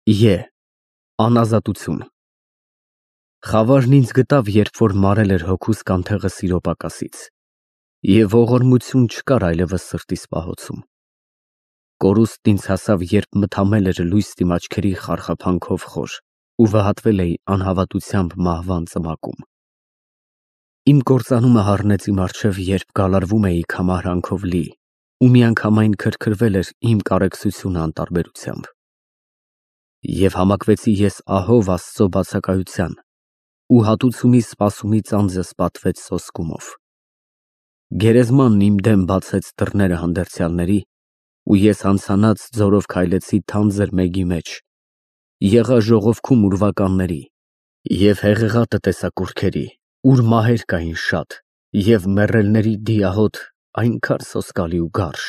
Է. Անազատություն։ Խավարն ինձ գտավ, երբ որ մարել էր հոգուս կանթեղը սիրո պակասից, և ողորմություն չկար այլևս սրտիս պահոցում։ Կորուստն ինձ հասավ, երբ մթամել էր լույս դիմաչքերի խարխափանքով խոր ու վհատվել էի անհավատությամբ մահվան ծմակում։ Իմ կործանումը հառնեց իմ առջև, երբ գալարվում էի քամահրանքով լի, ու միանգամայն քրքրվել էր իմ կարեկցությունը անտարբերությամբ։ Եվ համակվեցի ես ահով Աստծո բացակայության, ու հատուցումի սպասումի ծանձս պատվեց սոսկումով։ Գերեզմանն իմ դեմ բացեց դռները հանդերձյալների, ու ես հանցանած ձորով քայլեցի թանձր մեգի մեջ, եղա ժողովքում ուրվականների և հեղեղատը տեսա կուռքերի, ուր մահեր կային շատ, և մեռելների դիահոտ այնքան սոսկալի ու գարշ։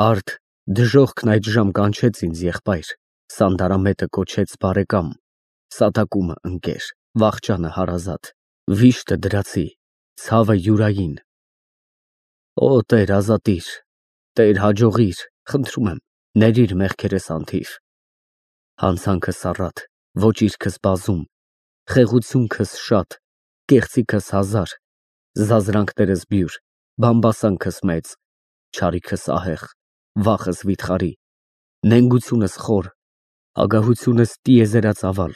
Արդ դժոխքն այդժամ կանչեց ինձ եղբայր, սանդարամետը կոչեց բարեկամ, սատակումը ընկեր, վախճանը հարազատ, վիշտը դրացի, ցավը յուրային։ Օ Տեր, ազատիր, Տեր, հաջողիր, խնդրում եմ, ներիր մեղքերս անթիվ։ Հանցանքս առատ, ոճիրքս բազում, խեղությունքս շատ, կեղծիքս հազար, զազրանքներս բյուր, բամբասանքս մեծ, չարիքս ահեղ, վախս վիթխարի, նենգությունս խոր, ագահությունս տիեզերածավալ,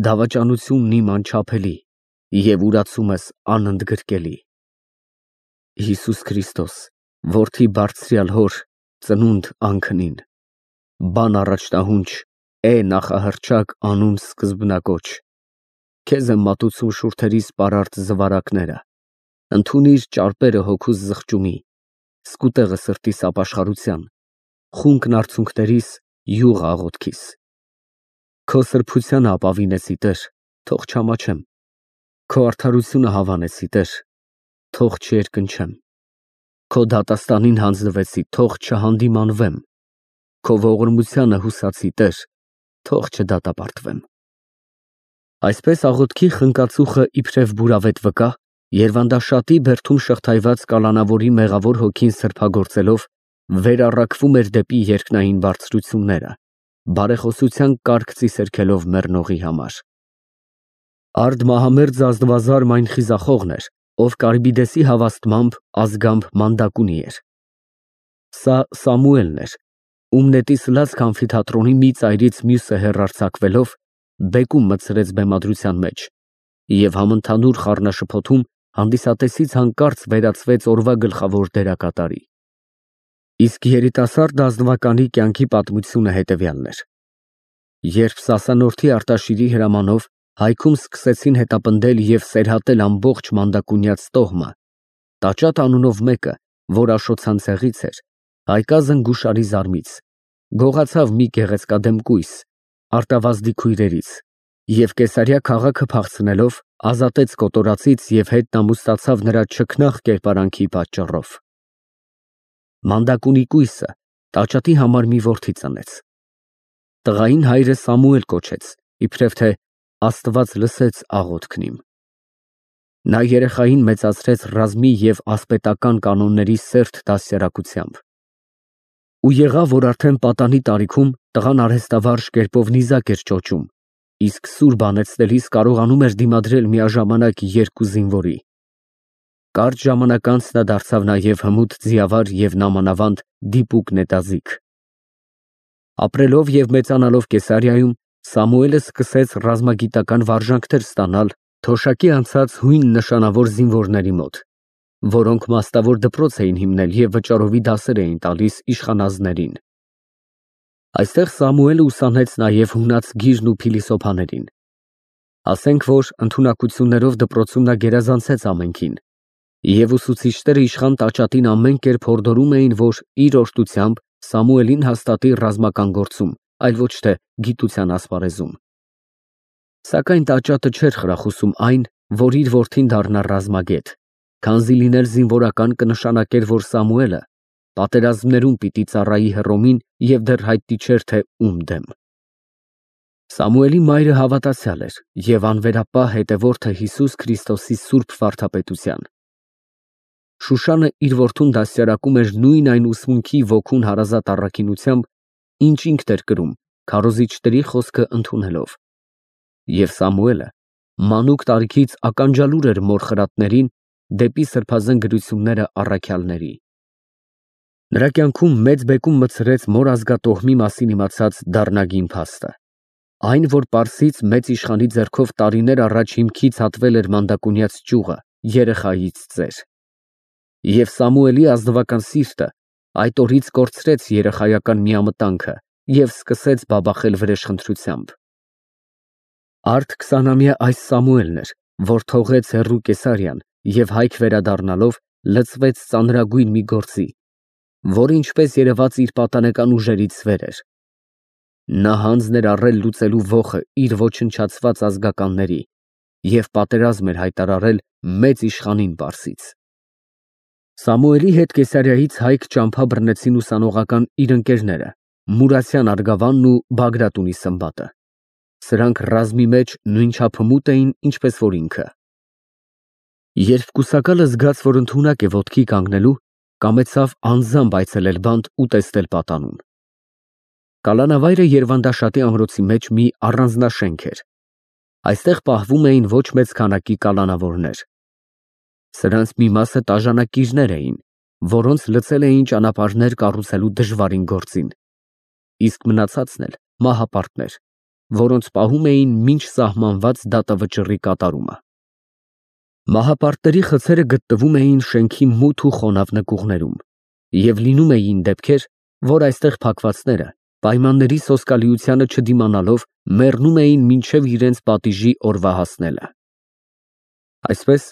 դավաճանությունն իմ անչափելի և ուրացումս անընդգրկելի։ Հիսուս Քրիստոս, որդի բարձրյալ հոր, ծնունդ անքնին, բան առաջնահունչ, նախահռչակ անուն սկզբնակոչ, քեզ եմ մատուցում շուրթերիս պարարտ զվարակները, ընդունիր ճարպերը հոգուս զղջումի, սկուտեղը սրտիս ապաշխարության, խունկն արցունքներիս, յուղը աղոթքիս։ Քո սրբությանը ապավինեցի, Տեր, թող չամաչեմ, քո արդարությունը հավանեցի, Տեր, թող չերկնչեմ, քո դատաստանին հանձնվեցի, թող չհանդիմանվեմ, քո ողորմությանը հուսացի, Տեր, թող չդատապարտվեմ։ Այսպես աղոթքի խնկածուխը իբրև բուրավետ վկա, երվանդաշատի բերդում շղթայված կալանավորի մեղավոր հոգին սրբագործելով, վերառակվում էր դեպի երկնային բարձրությունները, բարեխոսության կարգ ծիսերքելով մեռնողի համար։ Արդ մահամերձ Աստվածաշարմ այն խիզախողն էր, ով Կարբիդեսի հավաստմամբ ազգամբ մանդակունի էր։ Սա Սամուելն էր, ում նետից լացք ամֆիթատրոնի մի ծայրից մյուսը հեռարձակվելով, բեկում մտցրեց բեմադրության մեջ, և համընդհանուր խառնաշփոթում հանդիսատեսից հանկարծ վերածվեց օրվա գլխավոր դերակատարի։ Իսկ երիտասարդ ազնվականի կյանքի պատմությունը հետևյալն էր. Երբ Սասանորդի Արտաշիրի հրամանով հայքում սկսեցին հետապնդել և սերհատել ամբողջ մանդակունյաց տոհմը, Տաճատ անունով մեկը, որ Աշոցան ցեղից էր, հայկազն գուշարի զարմից, գողացավ մի գեղեցկադեմ կույս, արտավազդի քույրերից, և Կեսարիա քաղաքը փախցնելով, ազատեց կոտորածից և հետնամուստացավ նրա չքնաղ կերպարանքի պատճառով։ Մանդակունի կույսը Տաճատի համար մի որդի ծնեց։ Տղային հայրը Սամուել կոչեց, իբրև թե Աստված լսեց աղոթքն իմ։ Նա երեխային մեծացրեց ռազմի և ասպետական կանոնների սերտ դաստիարակությամբ։ Ու եղավ, որ արդեն պատանի տարիքում տղան արհեստավարժ կերպով նիզակ էր ճոճում, իսկ սուր բանեցնելիս կարողանում էր դիմադրել միաժամանակ երկու զինվորի։ Կարճ ժամանակ անց նա դարձավ նաև հմուտ ձիավար և նամանավանդ դիպուկ նետաձիգ։ Ապրելով և մեծանալով Կեսարիայում, Սամուելը սկսեց ռազմագիտական վարժանքներ ստանալ թոշակի անցած հույն նշանավոր զինվորների մոտ, որոնք մասնավոր դպրոց էին հիմնել և վճարովի դասեր էին տալիս իշխանազներին։ Այստեղ Սամուելը ուսանեց նաև հունաց գիրն ու փիլիսոփաներին։ Ասենք որ ընդունակություններով դպրոցում նա գերազանցեց ամենքին, և ուսուցիչները իշխան Տաճատին ամեն կերպ հորդորում էին, որ իր օժտությամբ Սամուելին հաստատի ռազմական գործում, այլ ոչ թե գիտության ասպարեզում։ Սակայն Տաճատը չէր խրախուսում այն, որ իր որդին դառնա ռազմագետ, քանզի լինել զինվորական կնշանակեր, որ Սամուելը պատերազմներում պիտի ծառայի Հռոմին և դեռ հայտնի չէր, թե ում դեմ։ Սամուելի մայրը հավատացյալ էր և անվերապահ հետևորդը Հիսուս Քրիստոսի սուրբ վարդապետության։ Շուշանը իր որդուն դաստիարակում էր նույն այն ուսմունքի ոգուն հարազատ առաքինությամբ, ինչ ինքն էր կրում, քարոզիչների խոսքը ընդունելով։ Եվ Սամուելը մանուկ տարիքից ականջալուր էր մոր խրատներին դեպի սրբազան գրությունները առաքյալների։ Նրա կյանքում մեծ բեկում մտցրեց մոր ազգատոհմի մասին իմացած դառնագին փաստը։ Այն, որ Պարսից մեծ իշխանի ձեռքով տարիներ առաջ հիմքից հատվել էր մանդակունյաց ճյուղը երեխայից ծեր։ Եվ Սամուելի ազնվական սիրտը այդ օրից կորցրեց երեխայական միամտանքը և սկսեց բաբախել վրեժխնդրությամբ։ Արդ 20-ամյա այս Սամուելն էր, որ թողեց հեռու Կեսարիան և հայք վերադառնալով լծվեց ծանրագույն մի գործի, որը ինչպես երևաց իր պատանեկան ուժերից վեր էր։ Նա հանձն էր առել լուծելու ոխը իր ոչնչացված ազգականների և պատերազմ էր հայտարարել մեծ իշխանին Պարսից։ Սամուելի հետ Կեսարիայից հայք ճամփա բռնեցին ուսանողական իր ընկերները Մուրասյան Արգավանն ու Բագրատունի Սմբատը։ Սրանք ռազմի մեջ նույնչափ հմուտ էին, ինչպես որ ինքը։ Երբ կուսակալը զգաց, որ ընդունակ է ոտքի կանգնելու, կամեցավ անձամբ այցելել բանտ ու տեսնել պատանուն։ Կալանավայրը Երվանդաշատի ամրոցի մեջ մի առանձնաշենք էր։ Այստեղ պահվում էին ոչ մեծ քանակի կալանավորներ։ Սրանց մի մասը տաժանակիրներ էին, որոնց լցել էին ճանապարհներ կառուցելու դժվարին գործին, իսկ մնացածն էլ մահապարտներ, որոնց պահում էին մինչ սահմանված դատավճռի կատարումը։ Մահապարտների խցերը գտնվում էին շենքի մութ ու խոնավ նկուղներում, և լինում էին դեպքեր, որ այստեղ փակվածները պայմանների սոսկալիությանը չդիմանալով մեռնում էին մինչև իրենց պատիժի օրվա հասնելը։ Այսպես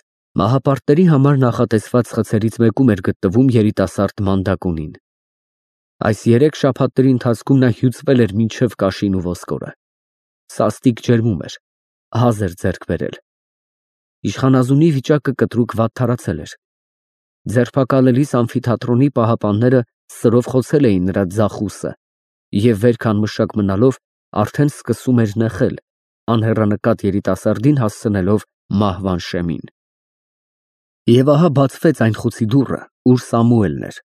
մահապարտների համար նախատեսված խցերից մեկում էր գտնվում երիտասարդ Մանդակունին։ Այս 3 շաբաթների ընթացքում նա հյուծվել էր մինչև կաշին ու ոսկորը։ Սաստիկ ջերմում էր, հազ էր ձեռք բերել։ Իշխանազունի վիճակը կտրուկ վատթարացել էր։ Ձերբակալելիս ամֆիթատրոնի պահապանները սրով խոցել էին նրա ձախ ուսը և վերք անմշակ մնալով արդեն սկսում էր նեղել, անհեռանկատ երիտասարդին հասցնելով մահվան շեմին։ Եվ ահա բացվեց այն խուցի դուռը, ուր Սամուելն էր,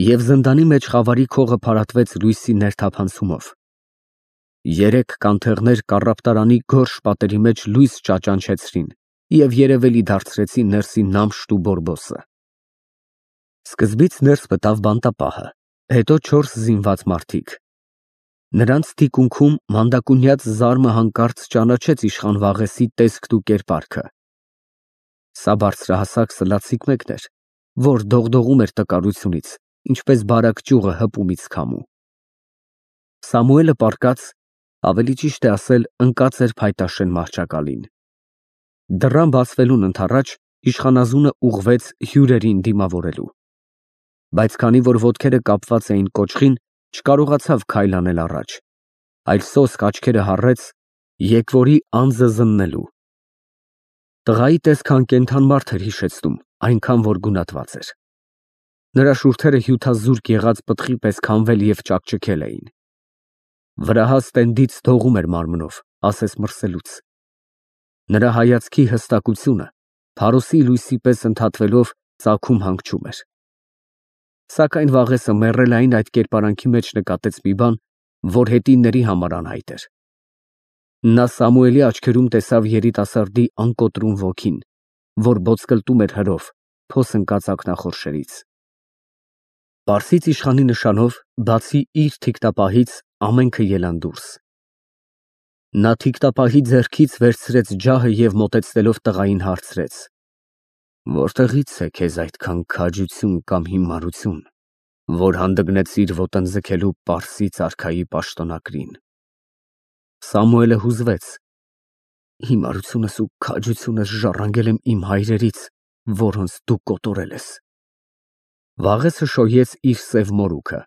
և զնդանի մեջ խավարի քողը փարատվեց լույսի ներթափանցումով։ 3 կանթեղներ կառապտարանի գորշ պատերի մեջ լույս ճաճանչեցրին և երևելի դարձրեցին ներսի նամշտ ու բորբոսը։ Սկզբից ներս մտավ բանտապահը, հետո 4 զինված մարդիկ։ Նրանց թիկունքում մանդակունյաց զարմը հանկարծ ճանաչեց իշխան Վաղեսի տեսքն ու կերպարքը։ Սա բարձրահասակ սլացիկ մեկն էր, որ դողդողում էր տկարությունից, ինչպես բարակ ճյուղը հպումից քամու։ Սամուելը պառկած, ավելի ճիշտ է ասել, ընկած էր փայտաշեն մահճակալին։ Դռան բացվելուն ընդառաջ իշխանազունը ուղղվեց հյուրերին դիմավորելու։ Բայց քանի որ ոտքերը կապված էին կոճղին, չկարողացավ քայլ անել առաջ, այլ սոսկ աչքերը հառեց եկվորի անձը զննելու։ Տղայի տեսքը անկենդան մարդ էր հիշեցնում, այնքան որ գունատված էր։ Նրա շուրթերը հյութազուրկ եղած պտղի պես քամվել և ճաքճքել էին։ Վրահաս տենդից դողում էր մարմնով, ասես մրսելուց։ Նրա հայացքի հստակությունը փարոսի լույսի պես ընդհատվելով ծագում հանգչում էր։ Սակայն Վաղեսը մեռելային այդ կերպարանքի մեջ նկատեց մի բան, որ հետինների համար անհայտ էր։ Նա Սամուելի աչքերում տեսավ երիտասարդի անկոտրուն ոգին, որ ոտսկլտում էր հրով, փոս ընկած ակնախորշերից։ Պարսից իշխանի նշանով, բացի իր թիկնապահից, ամենքը ելան դուրս։ Նա թիկնապահի ձեռքից վերցրեց ջահը և մոտեցնելով տղային հարցրեց. «Որտեղից է քեզ այդքան քաջություն կամ հիմարություն, որ հանդգնեցիր ոտնձգելու Պարսից արքայի պաշտոնակրին»։ Սամուելը հուզվեց. «Հիմարությունս ու քաջությունս ժառանգել եմ իմ հայրերից, որոնց դու կոտորել ես»։ Վաղեսը շոյեց իր սև մորուքը։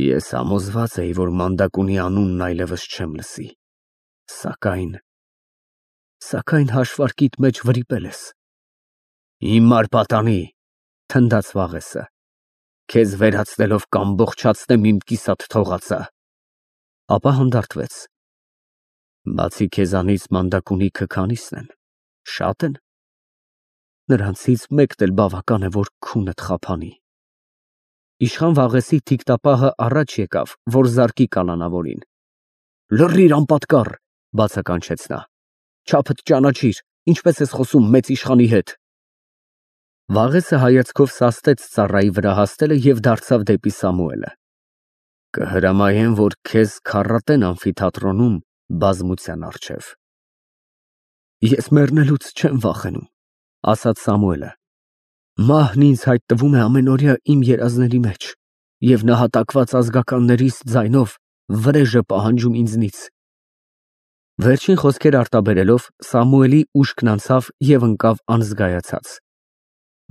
«Ես համոզված էի, որ Մանդակունի անունն այլևս չեմ լսի, սակայն հաշվարկիդ մեջ վրիպել ես»։ «Հիմար պատանի», թնդաց Վաղեսը, «քեզ վերացնելով կամբողջացնեմ իմ կիսատ թողածը»։ Ապա հանդարտվեց. «Բացի քեզանից Մանդակունիքը քանի՞սն են, շա՞տ են։ Նրանցից մեկն էլ բավական է, որ քունդ խափանի»։ Իշխան Վաղեսի թիկնապահը առաջ եկավ, որ զարկի կալանավորին, Լռիր անպատկառ, բացականչեց նա։ Չափդ ճանաչիր, ինչպես ես խոսում մեծ իշխանի հետ։ Վաղեսը հայացքով սաստեց ծառայի վրա հաստելը և դարձավ դեպի Սամուելը։ Կհրամայեմ, որ քեզ քառատեն ամֆիթատրոնում բազմության առջև։ Ես մեռնելուց չեմ վախենում, ասաց Սամուելը։ Մահն ինձ հայտնվում է ամենօրյա իմ երազների մեջ, և նահատակված ազգականներիս ձայնով վրեժ է պահանջում ինձնից։ Վերջին խոսքեր արտաբերելով Սամուելի ուշքն անցավ և ընկավ անզգայացած։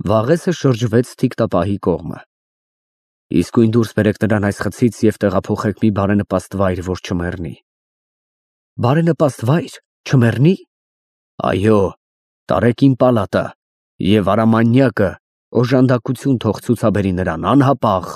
Վաղեսը շրջվեց թիկտապահի կողմը։ Իսկույն դուրս բերեք նրան այս խցից և տեղափոխեք մի բարենպաստ վայր, որ չմեռնի։ Բարենպաստ վայր, չմեռնի։ Այո, տարեք իմ պալատը և արամանյակը օժանդակություն թող ցուցաբերի նրան անհապաղ։